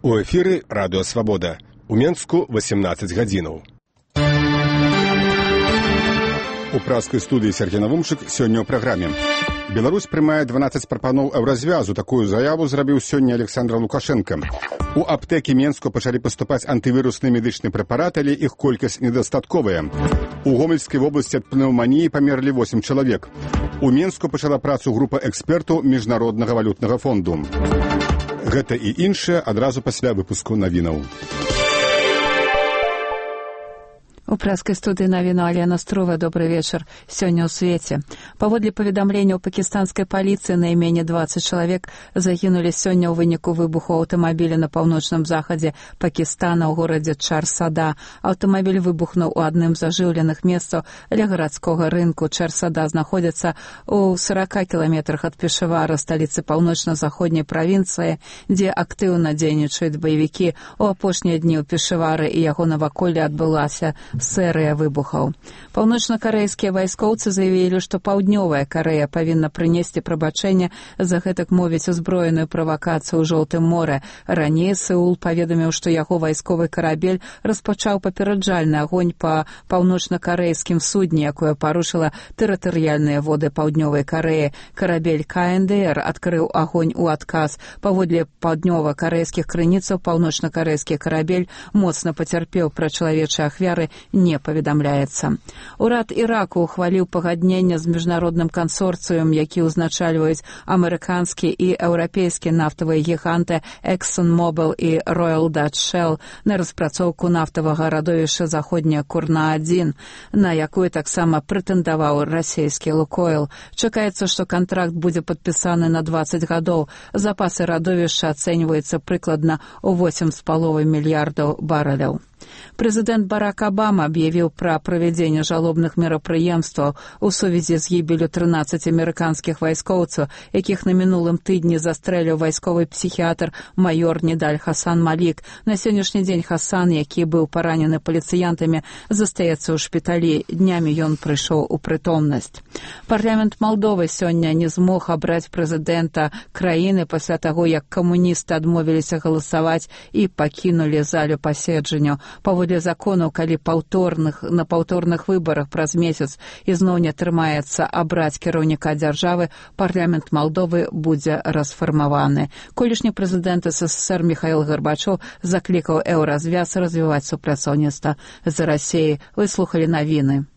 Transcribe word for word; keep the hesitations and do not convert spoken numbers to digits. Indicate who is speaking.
Speaker 1: У эфіры радыё Свабода. У Менску васемнаццаць гадзінаў. У праскай студыі Сергей Навумчык сёння ў праграме. Беларусь прымае дванаццаць прапаноў еўразвязу. Такую заяву зрабіў сёння Александр Лукашенко. У аптэкі Менску пачалі паступаць антывірусныя медычныя прэпараты, але іх колькасць недастатковая. У Гомельскай вобласці ад пнеўманіі памерлі восем чалавек. У Менску пачала працу група экспертаў Міжнароднага валютнага фонду. Гэта і іншае адразу пасля выпуску навінаў.
Speaker 2: У праскай студыі навіну Алена Струва. Добрый вечар. Сёння ў свеце. Паводле паведамленняў пакістанскай паліцыі, найменей дваццаць чалавек загінулі сёння ў выніку выбуху аўтамабіля на паўночным захадзе Пакістана ў горадзе Чар-Сада. Аўтамабіль выбухнуў у адным з ажыўленых месцаў ля гарадскога рынку. Чар-Сада знаходзіцца ў сарака кіламетрах ад Пешавара, сталіцы паўночна-заходняй правінцыі, дзе актыўна дзейнічаюць баевікі. У апошнія дні ў Пешавары і яго наваколлі адбылася серыя выбухаў. Паўночна-карэйскія вайскоўцы заявілі, што Паўднёвая Карэя павінна прынесці прабачэнне за гэтак мовіць узброеную правакацыю ў Жоўтым моры. Раней Сеул паведаміў, што яго вайсковы карабель распачаў папераджальны агонь па паўночна-карэйскім судне, якое парушыла тэрытарыяльныя воды Паўднёвай Карэі. Карабель ка эн дэ эр адкрыў агонь у адказ. Паводле паўднёва-карэйскіх крыніцаў, паўночна-карэйскі карабель моцна пацярпеў, пра чалавечыя ахвяры не паведамляецца. Урад Іраку ухваліў пагадненне з міжнародным кансорцыем, які ўзначальваюць амерыканскі і еўрапейскі нафтавыя гіганты ExxonMobil і Royal Dutch Shell на распрацоўку нафтавага радовішча заходняя Курна адзін, на якую таксама прэтэндаваў расійскі Лукойл. Чакаецца, што кантракт будзе падпісаны на дваццаць гадоў. Запасы радовішча ацэньваюцца прыкладна ў восем з паловай мільярдаў барэляў. Прэзідэнт Барак Абама аб'явіў пра правядзенне жалобных мерапрыемстваў у сувязі з гібеллю трынаццаць амерыканскіх вайскоўцаў, якіх на мінулым тыдні застрэліў вайсковы псіхіятр майор Нідаль Хасан Малік. На сённяшні дзень Хасан, які быў паранены паліцыянтамі, застаецца ў шпіталі. Днямі ён прыйшоў у прытомнасць. Парламент Малдовы сёння не змог абраць прэзідэнта краіны пасля таго, як камуністы адмовіліся галасаваць і пакінулі залю паседжанняў. Паводле законаў, калі паўторных, на паўторных выбарах праз месяц ізноў не атрымаецца абраць кіраўніка дзяржавы, парламент Малдовы будзе расфармаваны. Колішні прэзідэнт эс эс эс эр Міхаіл Гарбачоў заклікаў еўразвяз развіваць супрацоўніцтва з Расіяй. Вы слухалі навіны.